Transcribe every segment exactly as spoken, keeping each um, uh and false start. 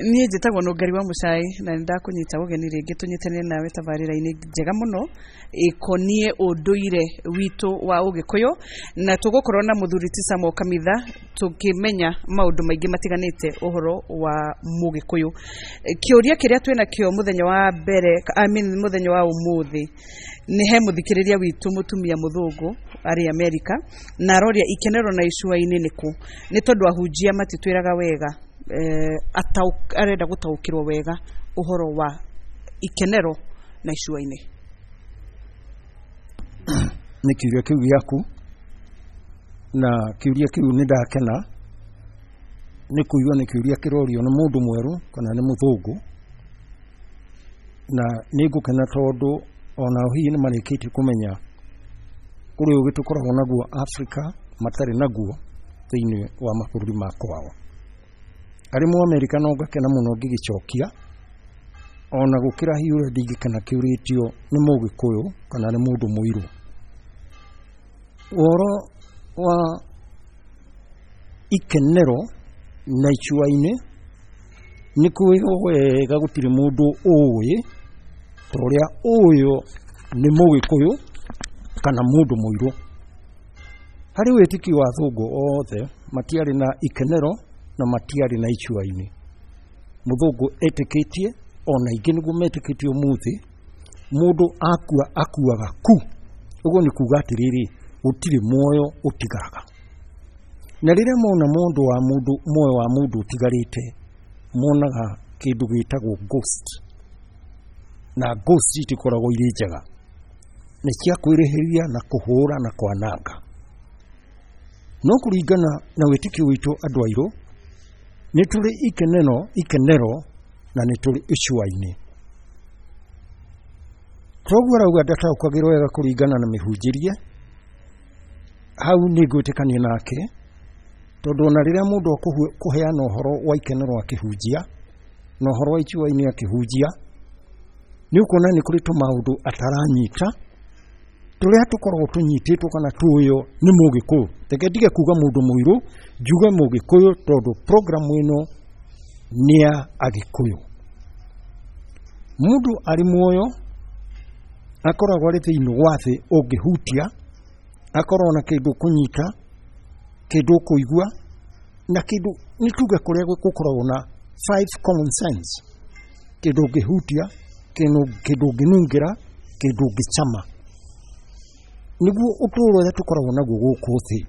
Niĩ njĩtagwo Nũngari wa Mũcai na nĩ ndakũnyita ũgeni rĩngĩ tũnyitanĩre nawe tabarĩra-inĩ njega mũno ĩkoniĩ ũndũire witũ wa Ũgĩkũyũ, na tũgũkorwo na mũthuri ti Samuel Kamitha tũkĩmenya maũndũ maingĩ matiganĩte ũhoro wa Mũgĩkũyũ. Kĩũria kĩrĩa twĩnakĩo mũthenya wa mbere, I mean mũthenya wa ũmũthĩ, nĩ he mũthikĩrĩria witũ mũtumia mũthũngũ arĩ Amerika, na aroria ikenero na icua-inĩ nĩkũ, nĩ tondũ ahunjia matitwĩraga wega. Eh, ataũ- arenda gũtaũkĩrwo wega ũhoro wa ikenero na icua-inĩ. Nĩ kĩũria kĩu gĩaku, na kĩũria kĩu nĩ ndakena nĩ kũigua nĩ kĩũria kĩrorio nĩ mũndũ mwerũ kana nĩ mũthũngũ, na nĩ ngũkena tondũ onao hihi nĩ marĩkĩtie kũmenya kũrĩ ũgĩ tũkoragwo naguo Afrika matarĩ naguo thĩinĩ wa mabũrũri ma kwao. Arĩ Mũamerika no ngakena mũno ngĩgĩcokia, ona gũkĩra hihi ũrĩa ndingĩkena kĩũrĩtio nĩ Mũgĩkũyũ kana nĩ mũndũ mũirũ. Ũhoro wa ikenero na icua-inĩ nĩ kwĩho wega gũtirĩ mũndũ ũĩ ta ũrĩa ũyũ nĩ Mũgĩkũyũ kana mũndũ mũirũ. Harĩ wĩtĩkio wa athũngũ othe matiarĩ na ikenero na matiarĩ na icua-inĩ. Mũthũngũ etĩkĩtie, ona aingĩ nĩguo metĩkĩtie ũmũthĩ, mũndũ akua akuaga ku. Ũguo nĩ kuga atĩrĩrĩ, gũtirĩ muoyo ũtigaraga. Na rĩrĩa mona mũndũ wa mũndũ, muoyo wa mũndũ ũtigarĩte, monaga kĩndũ gĩtagwo ghost. Na ghost itikoragwo irĩ njega, nĩ cia kwĩrĩhĩria na kũhũra na kwananga. No kũringana na wĩtĩkio witũ andũ airũ, nĩ tũrĩ ikenero, ikenero na nĩ tũrĩ icua-inĩ. Toguo arauga ndataũkagĩrwo wega kũringana na mĩhunjĩrie, hau nĩ ngwĩtĩkania nake, tondũ ona rĩrĩa mũndũ akũheana ũhoro wa ikenero akĩhunjia na ũhoro wa icua-inĩ akĩhunjia, nĩ ũkuona nĩ kũrĩ tũmaũndũ ataranyita tũrĩa tũkoragwo tũnyitĩtwo kana tũĩo nĩ Mũgĩkũyũ. Reke ndige kuga mũndũ mũirũ, njuge Mũgĩkũyũ tondũ program ĩno nĩ ya Agĩkũyũ. Mũndũ arĩ muoyo akoragwo arĩ thĩinĩ wa thĩ ũngĩhutia, akorwo na kĩndũ kũnyita, kĩndũ kũigua, na kĩndũ nĩ tuge kũrĩa gũkoragwo na five common sense, kĩndũ ũngĩhutia, kĩndũ ũngĩnungĩra, kĩndũ ũngĩcama, nĩguo ũtũũro ũrĩa tũkoragwo naguo gũkũ thĩ.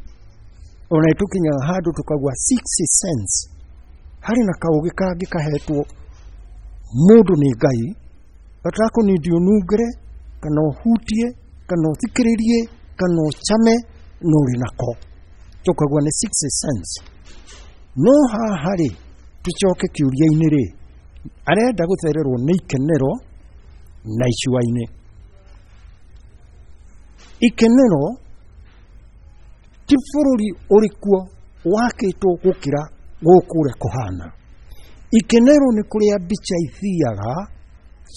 Ona nĩtũkinyaga handũ tũkaigua sixth sense, harĩ na kaũgĩ kangĩ kahetwo mũndũ nĩ Ngai gatakũnindi ũnungĩre kana ũhutie kana ũthikĩrĩrie kana ũcame no ũrĩ nako, tũkaigua nĩ sixth sense. No haha rĩ, tũcoke kĩũria-inĩ rĩ, arenda gũthererwo nĩ ikenero na icua-inĩ. Ikenero ti bũrũri ũrĩkuo wakĩtwo gũkĩra gũkũ ũrĩa kũhana. Ikenero nĩ kũrĩa mbica ithiaga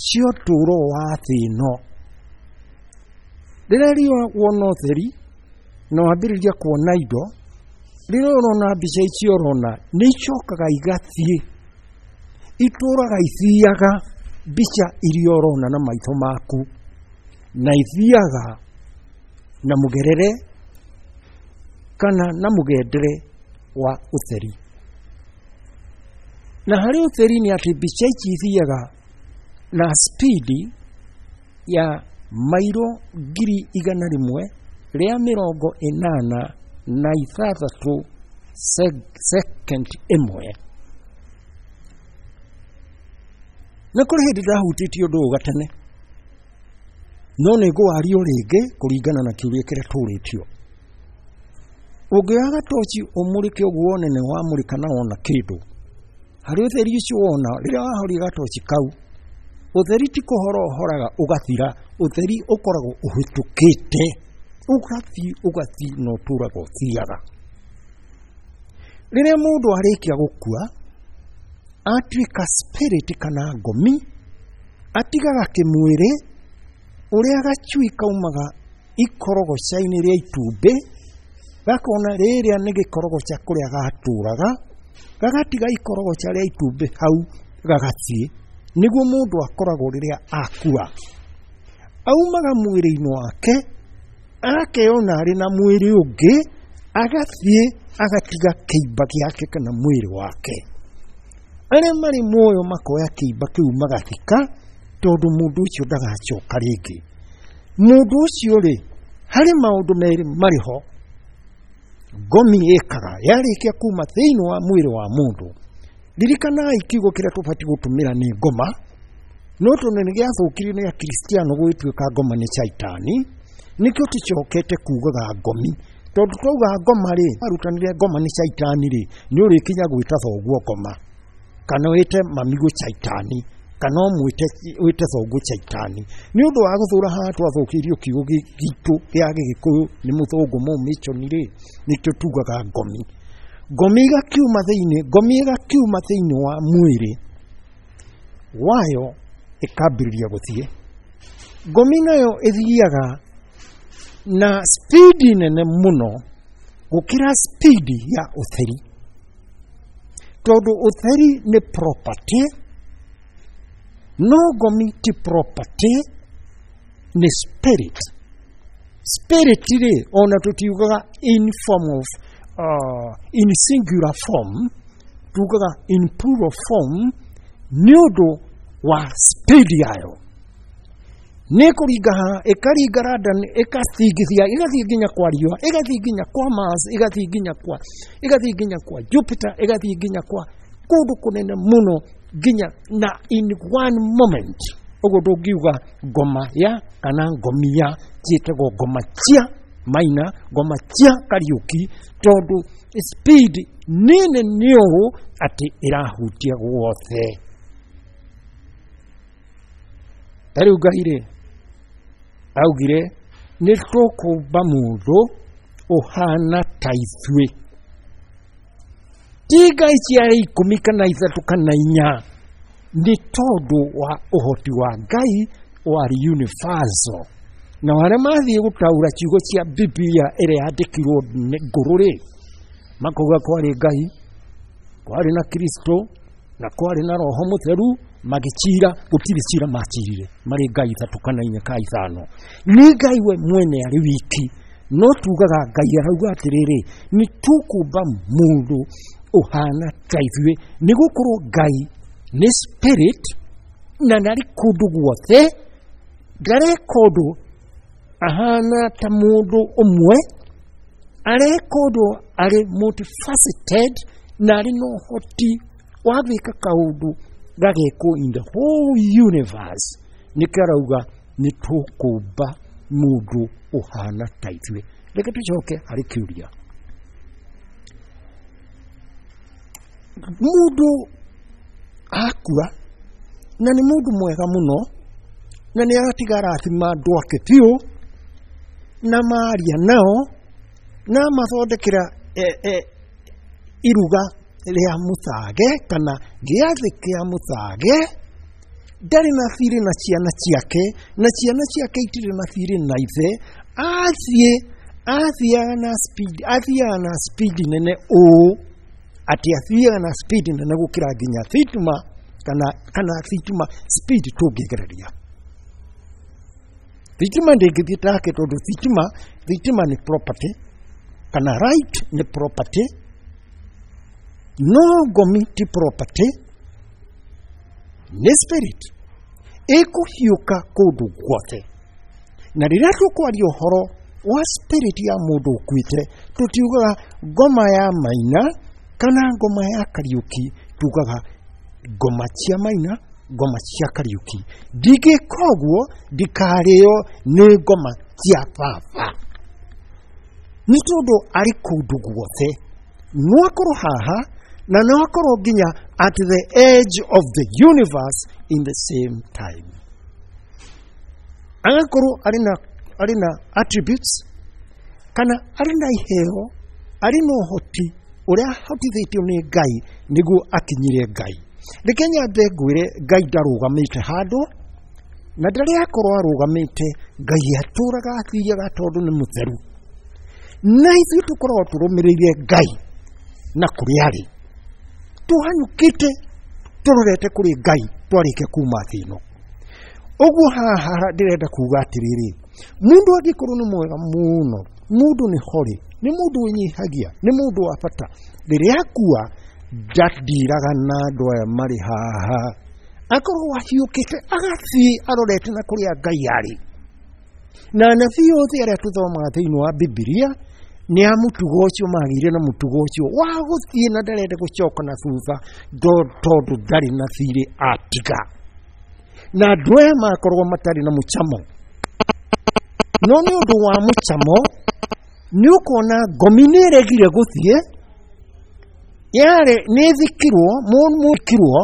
cia ũtũũro wa thĩ ĩno. Rĩrĩa riũa wona ũtheri na wambĩrĩria kuona indo, rĩrĩa ũrona mbica icio ũrona nĩ icokaga igathiĩ, itũraga ithiaga mbica iria ũrona na maitho maku, na ithiaga na mũgerere kana na mũgendere wa ũtheri. Na harĩ ũtheri nĩ atĩ mbica ici ithiaga na spidi ya mairo ngiri igana rĩmwe rĩa mĩrongo ĩnana na ithathatũ second ĩmwe. Na kũrĩ hĩndĩ ndahutĩtie ũndũ ũyũ gatene, no nĩ ngũwaria rĩngĩ kũringana na kĩũria kĩrĩa tũrĩtio. Ũngĩoya gatoci ũmũrĩke ũguo wone nĩ wamũrĩka na wona kĩndũ, harĩ ũtheri ũcio wona rĩrĩa wahoria gatoci kau, ũtheri ti kũhora ũhoraga ũgathira, ũtheri ũkoragwo ũhĩtũkĩte ũgathiĩ ũgathiĩ na ũtũraga ũthiaga. Rĩrĩa mũndũ arĩkia gũkua atuĩka spirit kana ngomi, atigaga kĩmwĩrĩ ũrĩa gacui kaumaga ikorogoca-inĩ rĩa itumbĩ, gakona rĩrĩa nĩ gĩkorogoca kũrĩa gatũraga, Gagatiga ikorogoca rĩa itumbĩ hau gagathiĩ. Nĩguo mũndũ akoragwo rĩrĩa akua. Aumaga mwĩrĩ-inĩ wake, akeyona arĩ na mwĩrĩ ũngĩ, agathiĩ agatiga kĩimba gĩake kana mwĩrĩ wake. Arĩa marĩ muoyo makoya kĩimba kĩu magathika, tondũ mũndũ ũcio ndagacoka rĩngĩ. Mũndũ ũcio rĩ, harĩ maũndũ merĩ marĩ ho ngomi ĩkaga yarĩkia kuma thĩinĩ wa mwĩrĩ wa mũndũ. Ririkanai kiugo kĩrĩa tũbatiĩ gũtũmĩra nĩ ngoma, no tondũ nĩ gĩathũkirio nĩ akristiano gũgĩtuĩka ngoma nĩ caitani, nĩkĩo tũcokete kugaga ngomi. Tondũ twauga ngoma rĩ, arutanire ngoma nĩ caitani rĩ, nĩ ũrĩkinya gwĩta thoguo ngoma, kana wĩte mamigo caitani, kana ũmwĩte wĩte thoguo caitani. Nĩ ũndũ wa gũthũra haha twathũkĩirio kiugo gitũ gĩa Gĩgĩkũyũ nĩ mũthũngũ mũmĩconi rĩ, nĩkĩo tugaga ngomi. Ngomi ĩgakiuma thĩinĩ, ngomi ĩgakiuma thĩinĩ wa mwĩrĩ wayo ĩkambĩrĩria gũthiĩ. Ngomi nayo ĩthiaga na spidi nene mũno gũkĩra spidi ya ũtheri, tondũ ũtheri nĩ property, no ngomi ti property, nĩ spirit. Spirit rĩ, ona tũtiugaga in form of uh, in singular form, tugaga in plural form nĩ ũndũ wa speed yayo. Nĩ kũringa haha, ĩkaringa London, ĩgathingithia, ĩgathiĩ nginya kwa riũa, ĩgathiĩ nginya kwa Mars, ĩgathiĩ nginya kwa, ĩgathiĩ nginya kwa Jupiter, ĩgathiĩ nginya kwa kũndũ kũnene mũno, nginya na in one moment. Ũguo ndũngiuga ngoma ya kana ngomi ya, ciĩtagwo ngoma cia Maina, ngoma cia Kariũki, tondũ speed nene nĩ ũũ atĩ ĩrahutia guothe. Ta rĩu Ngai rĩ, augire nĩ tũkũmba mũndũ ũhana ta ithuĩ. Ti Ngai ciarĩ ikũmi kana ithatũ kana inya, nĩ tondũ wa ũhoti wa Ngai warĩ universal. Na arĩa mathiĩ gũtaũra ciugo cia Biblia ĩrĩa yandĩkirwo ngũrũ rĩ, makauga kwarĩ Ngai, kwarĩ na Kristo, na kwarĩ na Roho Mũtheru, magĩcira, gũtirĩ cira macirire, marĩ Ngai ithatũ kana inya ka ithano. Nĩ Ngai we mwene arĩ wiki, no tugaga Ngai arauga atĩrĩrĩ, nĩ tũkũmba mũndũ ũhana ta ithuĩ, nĩ gũkorwo Ngai nĩ spirit na ndarĩ kũndũ guothe, ndareka ũndũ ahana ta mũndũ ũmwe, areka ũndũ arĩ multifaceted na arĩ na ũhoti wa gwĩka kaũndũ gagekwo in the whole universe. Nĩkĩo arauga nĩ tũkũmba mũndũ ũhana ta ithuĩ. Reke tũcoke harĩ kĩũria. Mũndũ akua na nĩ mũndũ mwega mũno, na nĩ aratiga arathima andũ ake biũ, na maria nao, na mathondekera e, e, iruga rĩa mũthage kana gĩathĩ kĩa mũthage, ndarĩ na thirĩ na ciana ciake, na ciana ciake itirĩ na thirĩ na ithe, athiĩ athiaga na speed, athiaga na speed nene ũũ atĩ athiaga na speed nene gũkĩra nginya thitima kana kana thitima speed tũngĩgereria. Thitima ndĩngĩthiĩ take tondũ thitima thitima nĩ property kana right nĩ property, no ngomi ti property, nĩ spirit ĩkũhiũka kũndũ guothe. Na rĩrĩa tũkwaria ũhoro wa spirit ya mũndũ ũkuĩte, tũtiugaga ngoma ya Maina kana ngoma ya Kariũki, tugaga ngoma cia Maina, ngoma cia Kariũki. Ndingĩka ũguo ndikarĩo nĩ ngoma cia baba, nĩ tondũ arĩ kũndũ guothe. No akorwo haha na no akorwo nginya at the edge of the universe in the same time. Agakorwo arĩ na arĩ na attributes kana arĩ na iheo, arĩ na ũhoti ũrĩa ahotithĩtio nĩ Ngai nĩguo akinyire Ngai. Reke nyambe ngwĩre Ngai ndarũgamĩte handũ, na ndarĩ akorwo arũgamĩte. Ngai atũraga athiaga tondũ nĩ mũtheru, na ithuĩ tũkoragwo tũrũmĩrĩire Ngai na kũrĩa arĩ. Tũhanyũkĩte tũrorete kũrĩ Ngai twarĩkia kuma thĩ ĩno. Ũguo haha ndĩrenda kuga atĩrĩrĩ, mũndũ angĩkorwo nĩ mwega mũno, mũndũ nĩ horĩ, nĩ mũndũ wĩnyihagia, nĩ mũndũ wa bata, rĩrĩa akua ndandiraga na andũ aya marĩ haha, akorwo ahiũkĩte agathiĩ arorete na kũrĩa Ngai arĩ. Na anabii othe arĩa tũthomaga thĩinĩ wa Bibilia nĩ a mũtugo ũcio, magĩire na mũtugo ũcio wa gũthiĩ na ndarenda gũcoka na thutha tondũ ndarĩ na thirĩ atiga. Na andũ aya makoragwo matarĩ na mũcamo, no nĩ ũndũ wa mũcamo nĩ ũkuona ngomi nĩ ĩregire gũthiĩ, yarĩ nĩ ĩthikirwo, mũthikirwo,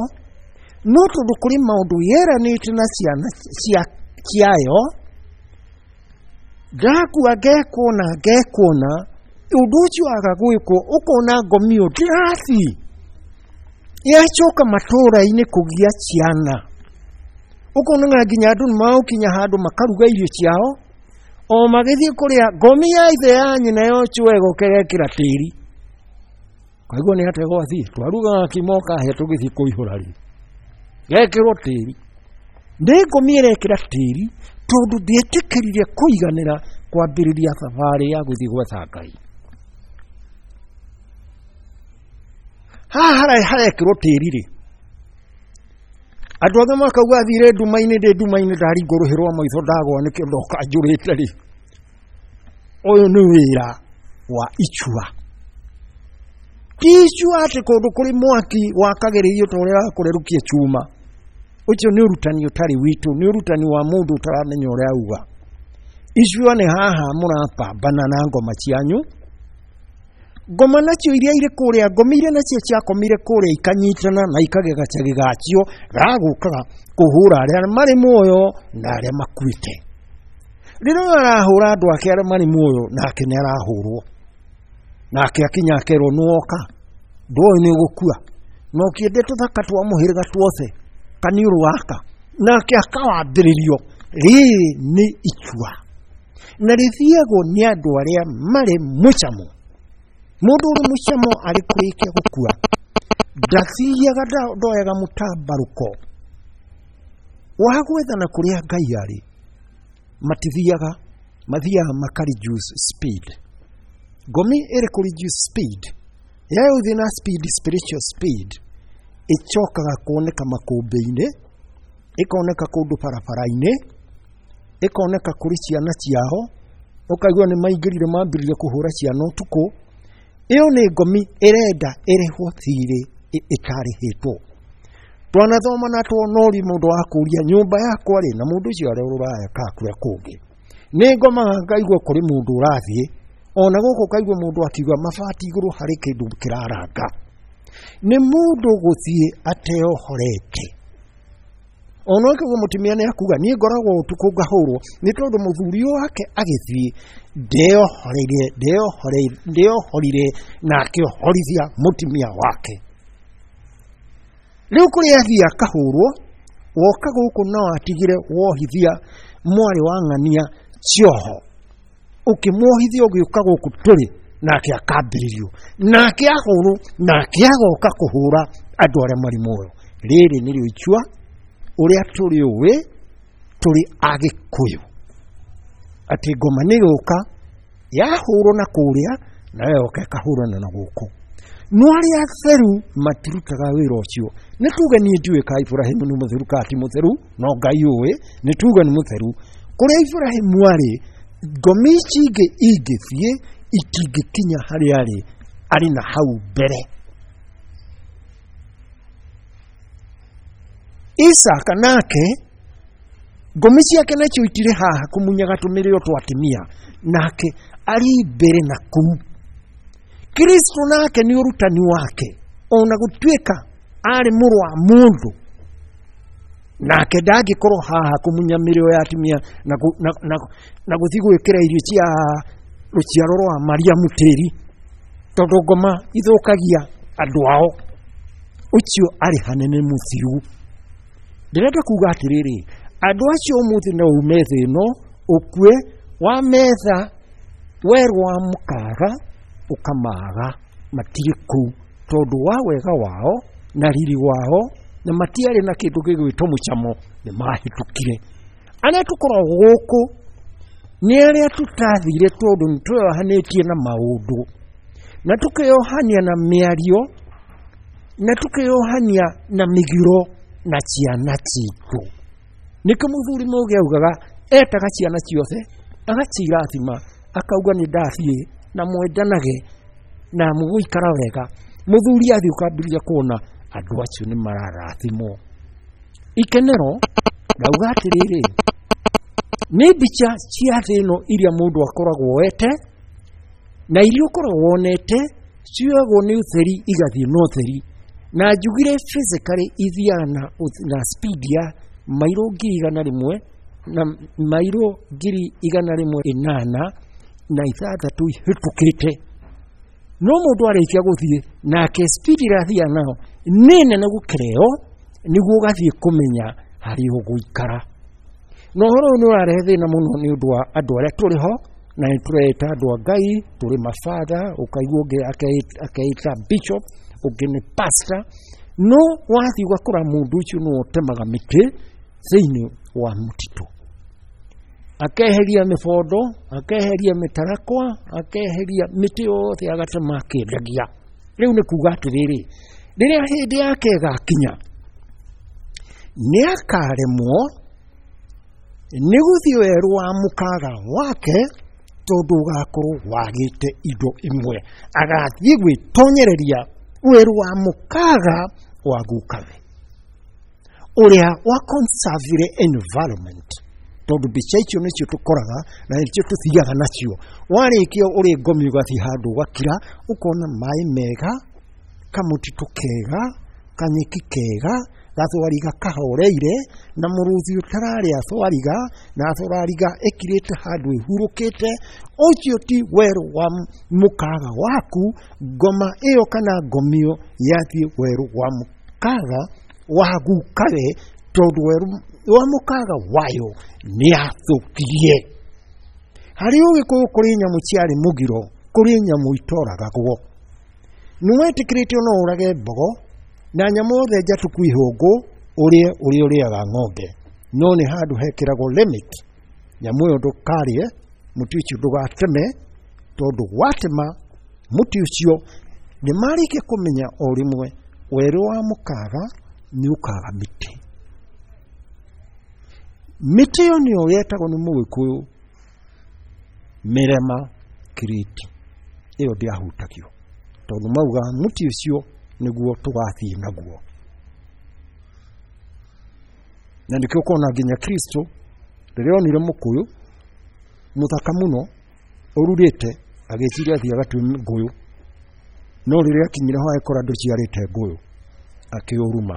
no tondũ kũrĩ maũndũ yeranĩte na ciana ciayo, ndakua ngekuona ngekuona, ũndũ ũcio waga gwĩkwo ũkona ngomi ĩyo ndĩrathiĩ, yacoka matũũra-inĩ kũgĩa ciana. Ũkona nginya andũ nĩ magũkinya handũ makaruga irio ciao, o magĩthiĩ kũrĩa ngomi ya ithe ya nyina yochwo ĩgoka ĩgekĩra tĩri. Kaigua nĩ atĩa gwathiĩ, twarugaga kimo kahĩa tũgĩthiĩ kũihũra rĩ, gekĩrwo tĩri. Nĩ ngomi ĩrekĩra tĩri tondũ ndĩetĩkĩrire kũiganĩra kwambĩrĩria thabarĩ ya gũthiĩ gwetha Ngai. Haha harekĩrwo tĩri rĩ, andũ othe makauga athire nduma-inĩ, ndĩ nduma-inĩ ndaringwo rũhĩ rwa maitho ndagwa nĩkĩo ndoka njũrĩte rĩ. Ũyũ nĩ wĩra wa icua. Ti icua atĩ kũndũ kũrĩ mwaki wakagĩrĩrio ta ũrĩa wakũrerũkia chuma. Ũcio nĩ ũrutani ũtarĩ witũ, nĩ ũrutani wa mũndũ ũtaramenya ũrĩa auga. Icua nĩ haha mũrapambana na ngoma cianyu. Ngoma nacio iria irĩ kũrĩa, ngomi iria nacio ciakomire kũrĩa ikanyitana na ikagĩa gacagi gacio gagũkaga kũhũra arĩa marĩ muoyo na arĩa makuĩte. Rĩrĩa ũyũ arahũra andũ ake arĩa marĩ muoyo, nake nĩ arahũrwo. Nake akinya akerwo nĩ woka, ndũĩ nĩ ũgũkua, na ũkĩende tũthaka twa mũhĩrĩga tuothe kaniũrũ gaka, nake akawambĩrĩrio. Rĩrĩ nĩ icua na rĩthiagwo nĩ andũ arĩa marĩ mũcamo. Mũndũ ũrĩ mũcamo arĩ kũrĩkia gũkua ndathiaga, ndoyaga mũtambarũko wa gwethana kũrĩa Ngai arĩ. Matithiaga, mathiaga maka reduce speed. Ngomi ĩrĩ kũ reduce speed yayo ũthiĩ na speed, spiritual speed, ĩcokaga kuoneka makũmbĩ-inĩ, ĩkoneka kũndũ barabara-inĩ, ĩkoneka kũrĩ ciana ciao, ũkaigua nĩ maingĩrire mambĩrĩria kũhũra ciana ũtukũ. Ĩyo nĩ ngomi ĩrenda ĩrĩhwo thirĩ ĩtarĩhĩtwo. Twanathoma na tuona ũrĩ mũndũ wa kũria nyũmba yakwa rĩ, na mũndũ ũcio arĩ rũraya kana kũrĩa kũngĩ. Nĩ ngomaga ngaigua kũrĩ mũndũ ũrathiĩ, ona gũkũ kaigua mũndũ akiuga mabati igũrũ harĩ kĩndũ kĩraranga. Nĩ mũndũ gũthiĩ ateohorete. Ona ũkaigua mũtumia nĩ akuga niĩ ngoragwo ũtukũ ngahũrwo nĩ tondũ mũthuri wake agĩthiĩ ndeohoreire, ndeohoreire, ndeohorire na akĩohorithia mũtumia wake. Rĩu kũrĩa athiĩ akahũrwo, woka gũkũ no atigire wohithia mwarĩ wa ng'ania cioho, ũkĩmuohithia ũgĩũka gũkũ tũrĩ, nake akambĩrĩrio, nake ahũrwo, nake agoka kũhũra andũ arĩa marĩ muoyo. Rĩrĩ nĩrĩo icua ũrĩa tũrĩ ũĩ tũrĩ Agĩkũyũ, atĩ ngoma nĩ gũka yahũrwo na kũrĩa nayo yoka ĩkahũrana na gũkũ. No arĩa atheru matirutaga wĩra ũcio. Nĩ tuge niĩ ndiũĩ ka Iburahĩmu nĩ mũtheru kana ti mũtheru, no Ngai ũĩ, nĩ tuge nĩ mũtheru. Kũrĩa Iburahĩmu arĩ, ngomi ici ingĩ ingĩthiĩ itingĩkinya harĩa arĩ, arĩ na hau mbere. Isaka nake ngomi ciake nacio itirĩ haha kũmunyaga tũmĩrĩo twa atumia, nake arĩ mbere na kũu. Kristo nake nĩ ũrutani wake, ona gũtuĩka arĩ mũrũ wa mũndũ, nake ndangĩkorwo haha kũmunya mĩrĩo ya atumia na, na, na, na gũthiĩ gwĩkĩra irio cia rũciaro rwa Mariamu tĩri, tondũ ngoma ithũkagia andũ ao. Ũcio arĩ hanene mũthiru. Ndĩrenda kuga atĩrĩrĩ, andũ acio ũmũthĩ no ume thĩ ĩno ũkue, wa metha werwo wa mũkaga ũkamaga, matirĩ kũu Tondũ wa wega wao na riri wao na matiarĩ na kĩndũ gĩgwĩtwo mũcamo nĩ mahĩtũkire. Arĩa tũkoragwo gũkũ nĩ arĩa tũtathire tondũ nĩ tweyohanĩtie na maũndũ na tũkeyohania na mĩario na tũkeyohania na mĩgiro na ciana citũ. Nĩkĩo mũthuri Mũgĩ augaga etaga ciana ciothe agacirathima akauga nĩ ndathiĩ na mwendanage na mũgũikara wega. Mũthuri athiĩ ũkambĩrĩria kuona andũ acio nĩ mararathimwo. Ikenero ndauga atĩrĩrĩ, nĩ mbica cia thĩ ĩno iria mũndũ akoragwo oete na iria ũkoragwo wonete cioyagwo nĩ ũtheri igathiĩ na ũtheri, na njugire physically ithiaga na, na speed ya mairo ngiri igana rĩmwe na mairo ngiri igana rĩmwe ĩnana na ithathatũ ihĩtũkĩte. No mũndũ arĩkia gũthiĩ nake speed ĩrĩa athiaga nayo nĩ nene gũkĩra ĩyo, nĩguo ũgathiĩ kũmenya harĩa ũgũikara. Na ũhoro ũyũ nĩ ũrarehe thĩna mũno nĩ ũndũ wa andũ arĩa tũrĩ ho na nĩ tũreĩta andũ a Ngai, tũrĩ mabatha, ũkaigua ũngĩ akeĩta bishop, ũngĩ nĩ pastor, no wathiĩ ũgakora mũndũ ũcio nĩwe ũtemaga mĩtĩ thĩinĩ wa mũtitũ, akeheria mĩbondo, akeheria mĩtarakwa, akeheria mĩtĩ yothe agatema akĩendagia. Rĩu nĩ kuga atĩrĩrĩ, rĩrĩa hĩndĩ yake ĩgakinya nĩ akaremwo nĩ gũthiĩ werũ wa mũkaga wake tondũ ũgakorwo wagĩte indo imwe, agathiĩ gwĩtonyereria werũ wa mũkaga wa gukawe ũrĩa wa conserve environment, tondũ mbica icio nĩcio tũkoraga na nĩcio tũthiaga nacio. Warĩkia ũrĩ ngomi ũgathiĩ handũ ũgakira ũkona maĩ mega, kamũtitũ kega, kanyeki kega, gathwariga kahoreire na mũrũthi ũtararĩa thwariga na thwariga ĩkirĩte handũ ĩhurũkĩte. Ũcio ti werũ wa mũkaga waku. Ngoma ĩyo kana ngomio yathiĩ werũ wa mũkaga wa gukawe, tondũ werũ wa mũkaga wayo nĩ yathũkirie. Harĩ Ũgĩkũyũ kũrĩ nyamũ ciarĩ mũgiro, kũrĩ nyamũ itoragagwo. Nĩ wetĩkĩrĩtio no ũrage mbogo na nyamũ yothe njatũku ihũngũ ũrĩe ũrĩa ũrĩaga ng'ombe, no nĩ handũ hekĩragwo limit. Nyamũ ĩyo ndũkarĩe, mũtĩ ũcio ndũgateme, tondũ watema mũtĩ ũcio nĩ marĩkia kũmenya o rĩmwe werũ wa mũkaga nĩ ũkaga mĩtĩ. Mĩtĩ ĩyo nĩyo yetagwo nĩ Mũgĩkũyũ mĩrema kirĩti, ĩyo ndĩahutagio tondũ maugaga mũtĩ ũcio nĩguo tũgathiĩ naguo. Na nĩkĩo ũkona nginya Kristo rĩrĩa onire mũkũyũ mũthaka mũno ũrurĩte agĩciria athiĩ agatue ngũyũ, no rĩrĩa akinyire ho agĩkora ndũciarĩte ngũyũ, akĩũruma.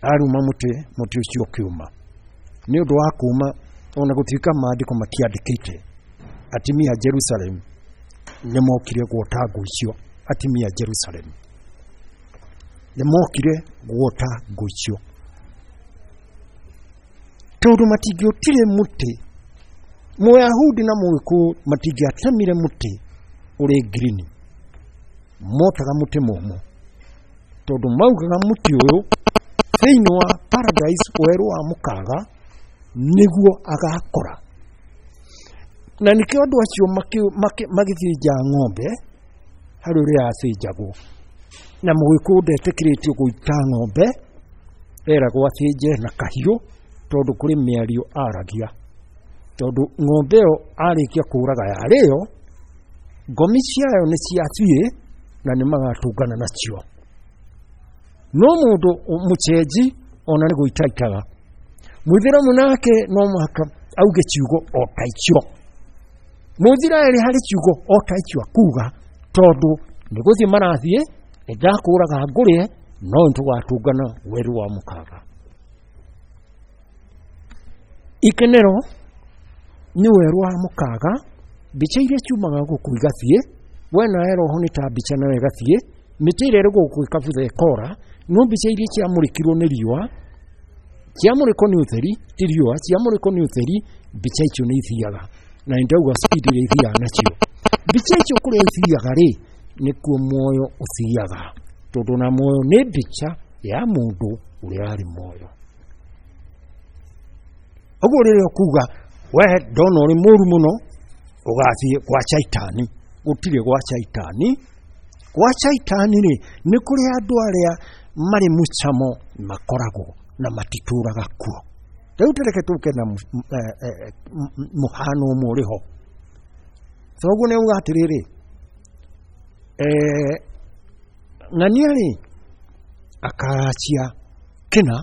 Aruma mũtĩ, mũtĩ ũcio ũkĩũma. Nĩ ũndũ wa kũma, ona gũtuĩka maandĩko matiandĩkĩte, atumia a Jerusalem nĩ mokire gwota ngũ icio. Atumia a Jerusalem nĩ mokire gwota ngũ icio tondũ matingĩotire mũtĩ. Mũyahudi na Mũgĩkũyũ matingĩatemire mũtĩ ũrĩ ngirini, motaga mũtĩ mũmũ tondũ maugaga mũtĩ ũyũ thĩinĩ wa paradise werũ wa mũkaga nĩguo agakora. Na nĩkĩo andũ acio magĩthĩnja ng'ombe harĩ ũrĩa yathĩnjagwo, na Mũgĩkũyũ ndetĩkĩrĩtio gũita ng'ombe, eragwo athĩnje na kahiũ tondũ kũrĩ mĩario aragia, tondũ ng'ombe ĩyo arĩkia kũraga yarĩo ngomi ciayo nĩ ciathiĩ na nĩ magatũngana nacio. No mũndũ mũcenji ona nĩ gũita itaga. Mũithĩramu nake no mũhaka auge ciugo o ta icio. Mũithiraeli harĩ ciugo o ta icio akuga, tondũ nĩ gũthiĩ marathiĩ, nĩ ndakũraga ngũrĩe, no nĩ tũgatũngana werũ wa mũkaga. Ikenero nĩ werũ wa mũkaga, mbica iria ciumaga gũkũ igathiĩ, we nawe roho nĩ ta mbica nawe ĩgathiĩ, mĩtĩ ĩrĩa ĩrĩ gũkũ ĩkabutha ĩkora, no mbica iria ciamũrĩkirwo nĩ riũa, ciamũrĩkwo nĩ ũtheri, ti riũa, ciamũrĩkwo nĩ ũtheri, mbica icio nĩ ithiaga. Na nĩ ndauga speed ĩrĩa ithiaga nacio. Mbica icio kũrĩa ithiaga rĩ, Nĩkuo muoyo ũthiaga, tondũ na muoyo nĩ mbica ya mũndũ ũrĩa arĩ muoyo. Ũguo rĩrĩa ũkuga we ndona ũrĩ mũru mũno, ũgathiĩ gwa Caitani. Gũtirĩ gwa Caitani. Gwa Caitani rĩ, nĩ kũrĩ andũ arĩa marĩ mũcamo makoragwo na matitũraga kuo. Rĩu tũreke tũke na mũhano ũmwe ũrĩ ho. Thoguo nĩ auga atĩrĩrĩ, eh, ng'ania rĩ akaracia kĩna,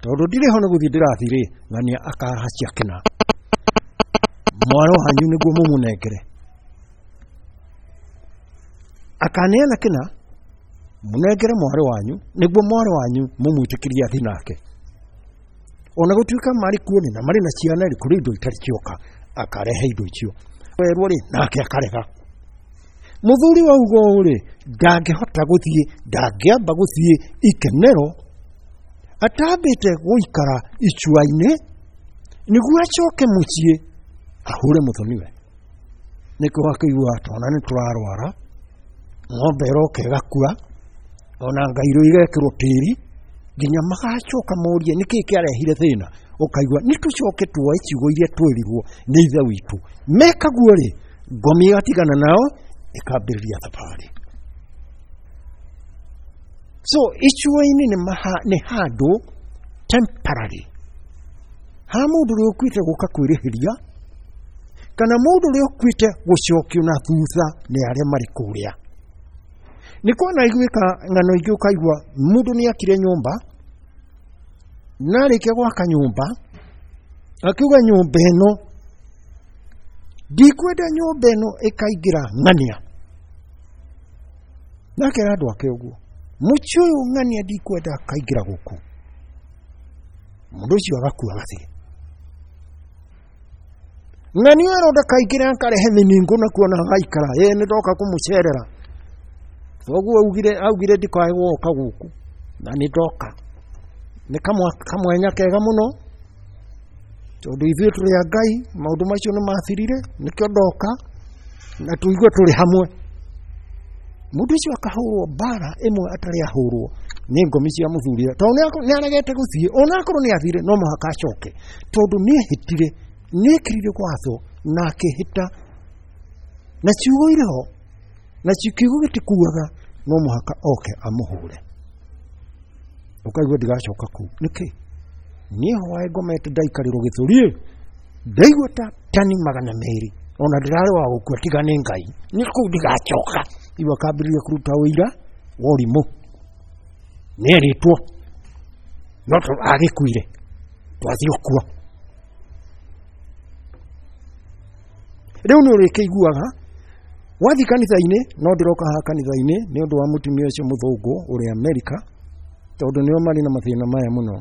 tondũ ndirĩ ho nĩ gũthiĩ ndĩrathiĩ rĩ, ng'ania akaracia kĩna, mwarĩ wanyu nĩguo mũmũnengere. Akaneana kĩna mũnengere mwarĩ wanyu, nĩguo mwarĩ wanyu mũmwĩtĩkĩrie athiĩ nake. Ona gũtuĩka marĩ kuo nĩ na marĩ na ciana rĩ, kũrĩ indo itarĩ cioka, akarehe indo icio. Werwo rĩ, nake akarega. Mũthuri wa ugo rĩ, ndangĩhota gũthiĩ, ndangĩamba gũthiĩ ikenero atambĩte gũikara icua-inĩ nĩguo acoke mũciĩ ahũre mũthoniwe. Nĩkĩo akĩigua twana nĩ tũrarwara, ng'ombe ĩroka ĩgakua, ona ngairũ igekĩrwo tĩri, nginya magacoka morie nĩkĩĩ kĩarehire thĩna. Ũkaigua nĩ tũcoke tuoe ciugo iria twĩrirwo nĩ ithe witũ. Meka guo rĩ, ngomi ĩgatigana nao ĩkambĩrĩria thabarĩ. So icua-inĩ nĩ handũ temporary ha mũndũ ũrĩa ũkuĩte gũka kwĩrĩhĩria, kana mũndũ ũrĩa ũkuĩte gũcokio na thutha nĩ arĩa marĩ kũrĩa. Nĩ kwana iguĩka ng'ano ingĩ ũkaigua mũndũ nĩ akire nyũmba, na arĩkia gwaka nyũmba akiuga nyũmba ĩno ndikwenda nyũmba ĩno ĩkaingĩra ng'ania. Na akera andũ ake ũguo, mũciĩ ũyũ ng'ania ndikwenda akaingĩra gũkũ. Mũndũ ũcio agakua agathiĩ. Ng'ania ĩro ndakaingĩra akarehe mĩningũ nakuo na agaikara, ĩ nĩ ndoka kũmũcerera. Thoguo augire augire ndikae gũka gũkũ na nĩ ndoka. Nĩ kamwenya kega mũno, tondũ ithuĩ tũrĩ a Ngai, maũndũ macio nĩ mathirire, nĩkĩo ndoka na tũigue tũrĩ hamwe. Mũndũ ũcio akahũrwo mbara ĩmwe atarĩ ahũrwo nĩ ngomi cia mũthuri, tondũ nĩ aregete gũthiĩ, ona akorwo nĩ athire no mũhaka acoke, tondũ nĩ ehĩtire, nĩ ekĩrire watho na akĩhĩta, na ciugo irĩ ho, na kiugo gĩtikuaga, no mũhaka oke amũhũre. Ũkaigua ndigacoka kũu. Nĩkĩ? Niĩ hwaĩ ngomete ndaikarĩrwo gĩthũri, ndaigua ta tani magana merĩ, ona ndĩrarĩ wa gũkua tiga nĩ Ngai, nĩ kũu ndigacoka. Iwe akambĩrĩria kũruta ũira wa ũrimũ, nĩerĩtwo no agĩkuire twathiĩ ũkuo. Rĩu nĩ ũrĩkĩiguaga wathiĩ kanitha-inĩ, no ndĩroka haha kanitha-inĩ nĩ ũndũ wa mũtumia ũcio mũthũngũ ũrĩa Amerika, tondũ nĩo marĩ na mathĩna maya mũno.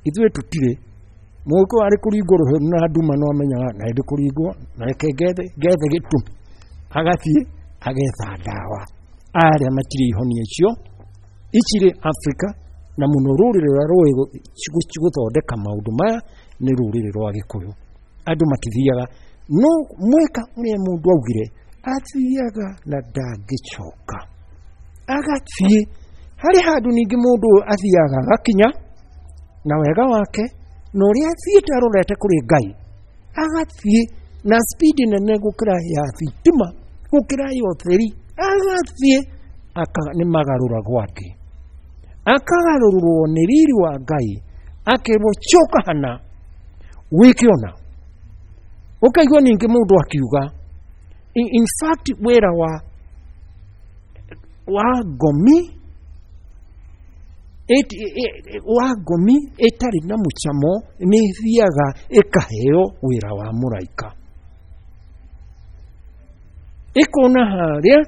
Ithuĩ tũtirĩ. Mũgĩkũyũ arĩ kũringwo rũhĩ na nduma no amenyaga na ndĩ kũringwo, na reke ngethe ngethe gĩtũmi, agathiĩ agetha ndawa. Arĩa matirĩ ihonia icio icirĩ Afrika, na mũno rũrĩrĩ rũrĩa rũĩ gũthondeka maũndũ maya nĩ rũrĩrĩ rwa Gĩkũyũ. Andũ matithiaga, no mweka ũrĩa mũndũ augire, athiaga na ndangĩcoka. Agathiĩ harĩ handũ ningĩ mũndũ ũyũ athiaga agakinya na wega wake na ũrĩa athiĩte arorete kũrĩ Ngai, agathiĩ na speed nene gũkĩra ya thitima, gũkĩra ya ũtheri, agathiĩ nĩ magarũragwo angĩ, akagarũrwo nĩ riri wa Ngai, akerwo coka hana wĩke ona. Ũkaigua ningĩ mũndũ akiuga in fact wĩra wa wa ngomi wa ngomi ĩtarĩ na mũcamo nĩ ĩthiaga ĩkaheo wĩra wa mũraika. Ĩkona harĩa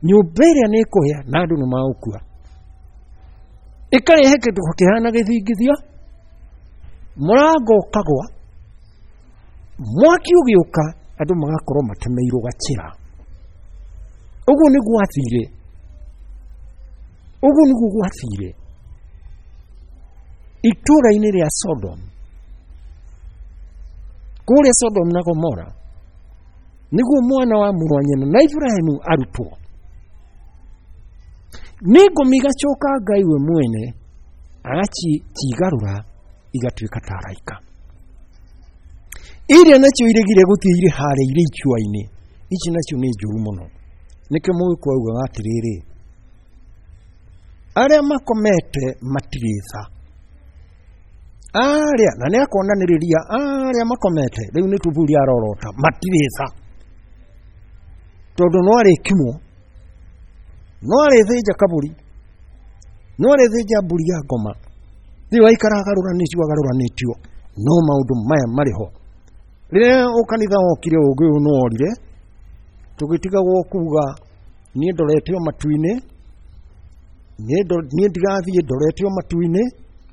nyũmba ĩrĩa nĩ ĩkũhĩa na andũ nĩ magũkua, ĩkarehe kĩndũ kĩhana gĩthingithia, mũrango ũkagwa, mwaki ũgĩũka, andũ magakorwo matemeirwo gacĩra. Ũguo nĩguo gwathire, ũguo nĩguo gwathire itũũra-inĩ rĩa Sodom, kũrĩa Sodom na Gomora. Nĩguo mwana wa mũrũ wa nyina na Ibrahimu arutwo. Nĩ ngomi igacoka Ngai we mwene agacigarũra igatuĩka ta araika. Iria nacio iregire gũthiĩ irĩ harĩa irĩ icua-inĩ, ici nacio nĩ njũru mũno. Nĩkĩo Mũgĩkũyũ augaga atĩrĩrĩ, arĩa makomete matirĩ tha. Arĩa, na nĩ akonanĩrĩria arĩa makomete, rĩu nĩ tuburi arorota, matirĩ tha. Tondũ no arĩkimwo, no arĩthĩnja kabũri, no arĩthĩnja mbũri ya ngoma. Rĩu aikara agarũranĩtio agarũranĩtio, no maũndũ maya marĩ ho. Rĩrĩa ũkanitha wokire ũngĩ ũyũ nĩ worire, tũgĩtigagwo kuga niĩ ndorete o matu-inĩ, niĩ ndirathiĩ ndorete o matu-inĩ,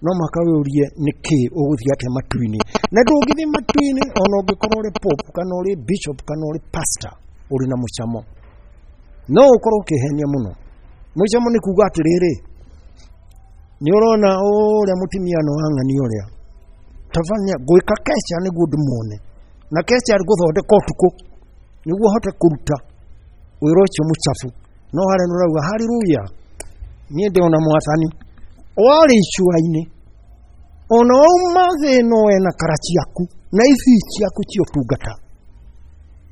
no mũhaka wĩũrie nĩkĩ ũgũthiĩ atĩa matu-inĩ. Na ndũngĩthiĩ matu-inĩ ona ũngĩkorwo ũrĩ pope kana ũrĩ bishop kana ũrĩ pastor ũrĩ na mũcamo. No ũkorwo ũkĩhenia mũno. Mũcamo nĩ kuga atĩrĩrĩ, nĩ ũrona ũrĩa mũtumia no wang'ania ũrĩa tabania gwĩka keca nĩguo ndĩmuone, na keca ngũthondeka ũtukũ nĩguo hote kũruta wĩra ũcio mũchafu. No harĩa nĩ ũrauga haleluya, niĩ ndĩona mwathani. Warĩ icua-inĩ ona wauma thĩ ĩno wena kara ciaku na ici ciaku cia ũtungata,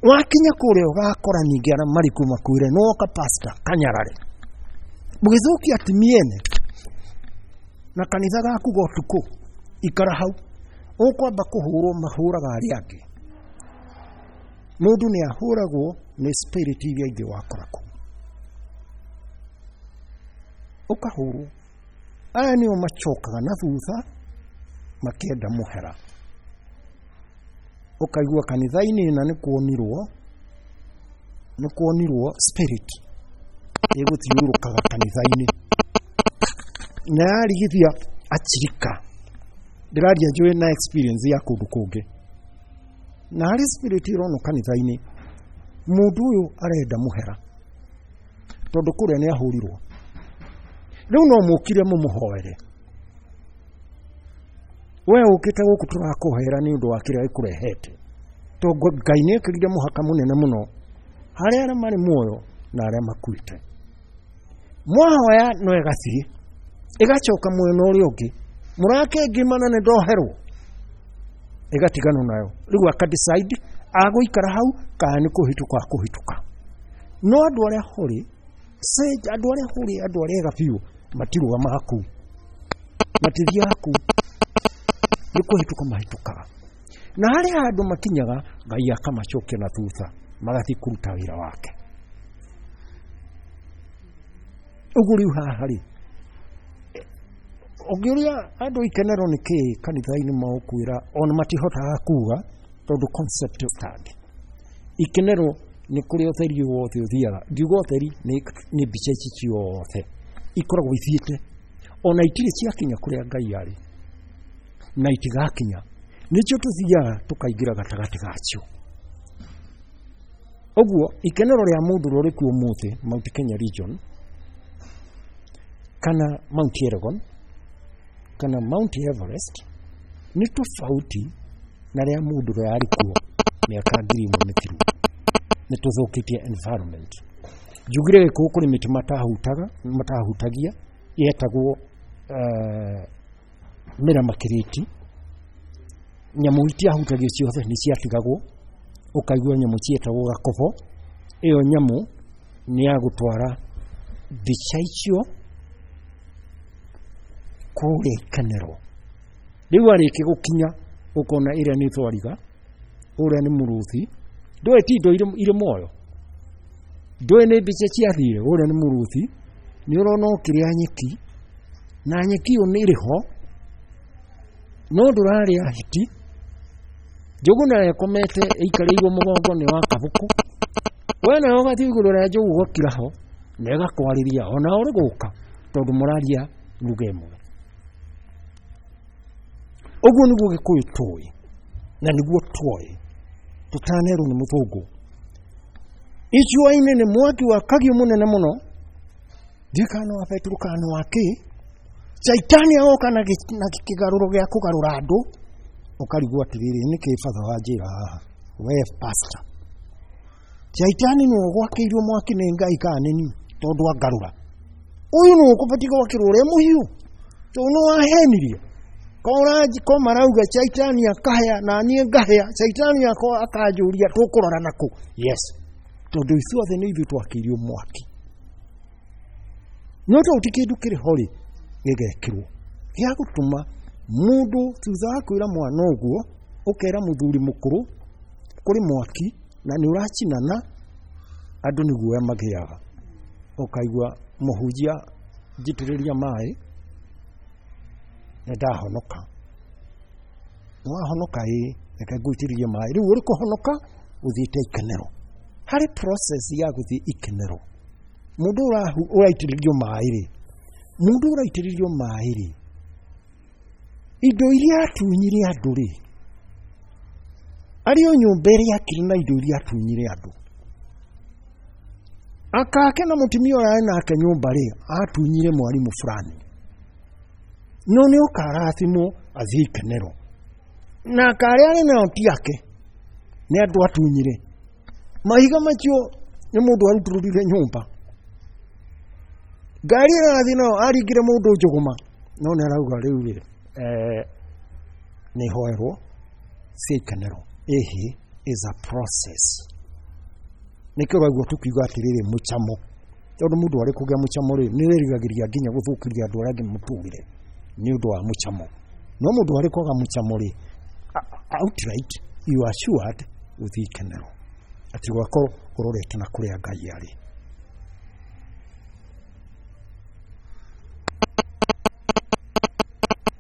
wakinya kũrĩa ũgakora ningĩ arĩa marĩ kuo makwĩre nĩ woka pastor kanyarare mũgĩthũkia atumia ene na kanitha gaku ga ũtukũ. Ikara hau ũkwamba kũhũrwo mahũraga arĩa angĩ. Mũndũ nĩ ahũragwo nĩ spirit iria ingĩ wakora kũu, ũkahũrwo. Aya nĩo macokaga na thutha makĩenda mũhera. Ũkaigua kanitha-inĩ na nĩ kuonirwo, nĩ kuonirwo spirit ĩgũthiũrũrũkaga kanitha-inĩ na yarigithia achirika. Ndĩraria njũĩ na experience ya kũndũ kũngĩ. Na harĩ spirit ĩronwo kanitha-inĩ, mũndũ ũyũ arenda mũhera tondũ kũrĩa nĩ ahũrirwo. Rĩu no mũkire mũmũhoere. We ũkĩte gũkũ tũrakũhoera nĩ ũndũ wa kĩrĩa gĩkũrehete, tondũ Ngai nĩ ekĩrire mũhaka mũnene mũno harĩ arĩa marĩ muoyo na arĩa makuĩte. Mwahoya no ĩgathiĩ ĩgacoka mwena ũrĩa ũngĩ, mũrakengimana nĩ ndoherwo, ĩgatiganwo nayo. Rĩu aka decide agũikara hau kana nĩ kũhĩtũka akũhĩtũka. No andũ arĩa hũrĩ, andũ arĩa hũrĩ, andũ arĩa ega biũ matirũgamaga kũu, matithiaga kũu, nĩ kũhĩtũka mahĩtũkaga. Na harĩa handũ makinyaga Ngai akamacokia na thutha, magathiĩ kũruta wĩra wake. Ũguo rĩu haha rĩ, ũngĩũria andũ ikenero nĩ kĩĩ kanitha-inĩ magũkwĩra ona matihotaga kuga tondũ concept stand. Ikenero nĩ kũrĩa ũtheri wothe ũthiaga. Ngiuga ũtheri nĩ mbica ici ciothe ikoragwo ithiĩte, ona itirĩ ciakinya kũrĩa Ngai arĩ na itigakinya. Nĩkĩo tũthiaga tũkaingĩra gatagatĩ gacio. Ũguo ikenero rĩa mũndũ ũrĩa ũrĩ kuo ũmũthĩ Mount Kenya region kana Mount Elgon kana Mount Everest nĩ tofauti na rĩa mũndũ ũrĩa arĩ kuo mĩaka ngiri ĩmwe mĩthiru. Nĩ tũthũkĩtie environment. Njugire gĩkũyũ kũrĩ mĩtĩ matahutaga matahutagia yetagwo uh, mĩramakĩrĩti. Nyamũ itiahutagio ciothe nĩ ciatigagwo, ũkaigua nyamũ cietagwo gakobo. Ĩyo nyamũ nĩ ya gũtwara mbica icio kũrĩa ikenero. Rĩu arĩkia gũkinya ũkona ĩrĩa nĩ thwariga, ũrĩa nĩ mũrũthi. Ndũĩ ti indo irĩ muoyo, ndũĩ nĩ mbica ciathire, ũrĩa nĩ mũrũthi. Nĩ ũrona ũkĩrĩa nyeki, na nyeki ĩyo nĩ ĩrĩ ho, no ndũrarĩa hiti. Njogu nayo ĩkomete ĩikarĩirwo mũgongo nĩ wa kabũkũ. We nawe ũgathiĩ igũrũ rĩa njogu ũgakira ho na ĩgakwarĩria ona ũrĩ gũka, tondũ mũraria lugha ĩmwe. Ũguo nĩguo Gĩkũyũ tũĩ na nĩguo twoĩ tũtanerwo nĩ mũthũngũ. Icua-inĩ nĩ mwaki wakagio mũnene mũno, ndiũĩ kana nĩ wa betũrũ kana nĩ wa kĩ. Caitani agoka na kĩgarũro gĩa kũgarũra andũ, ũkarigwo atĩrĩrĩ, nĩkĩ batha wanjĩra haha we pastor? Shaitani nĩwe ũgwakĩirwo mwaki nĩ Ngai kana nĩ niĩ tondũ angarũra. Ũyũ nĩwe ũkũbatiĩ gwakĩrwo ũrĩa mũhiũ tondũ nĩ wahenirie. Ko marauga shaitani akahĩa na niĩ ngahĩa, shaitani akanjũria tũkũrora nakũ? Yes, tondũ ithuothe nĩ ithuĩ twakĩirio mwaki. No to ti kĩndũ kĩrĩ ho rĩ gĩgekĩrwo gĩa gũtũma mũndũ thutha wa kwĩra mwana ũguo, ũkera mũthuri mũkũrũ kũrĩ mwaki na nĩ ũracinana, andũ nĩ guoya magĩaga. Ũkaigua mũhunjia njitĩrĩria maĩ nĩ ndahonoka. Nĩ wahonoka ĩĩ, reke ngũitĩrĩrie maĩ. Rĩu ũrĩ kũhonoka ũthiĩte ikenero. Harĩ process ya gũthiĩ ikenero. Mũndũ ũraitĩrĩrio maĩ rĩ, mũndũ ũraitĩrĩrio maĩ rĩ, indo iria atunyire andũ rĩ, arĩ o nyũmba ĩrĩa akire na indo iria atunyire andũ. Akake na mũtumia ũrĩa arĩ nake nyũmba rĩ, atunyire mwarimũ fulani. No nĩ oka arathimwo athiĩ ikenero. Na akarĩa arĩ nao ti ake, nĩ andũ atunyire. Mahiga macio nĩ mũndũ arutũrũrire nyũmba. Ngari ĩrĩa arathiĩ nayo aringire mũndũ njũgũma. No nĩ arauga rĩu rĩ, eh, nĩ hoerwo cia ikenero. Ĩhĩ is a process. Nĩkĩo ũraigua tũkiuga atĩrĩrĩ mũcamo. Tondũ mũndũ arĩ kũgĩa mũcamo rĩ, nĩ wĩrigagĩria nginya gũthũkĩria andũ arĩa angĩ mũtũrĩre nĩ ũndũ wa mũcamo. No mũndũ arĩ kwaga mũcamo rĩ, outright you are assured gũthiĩ ikenero. Atĩ ũgakorwo ũrorete na kũrĩa Ngai arĩ.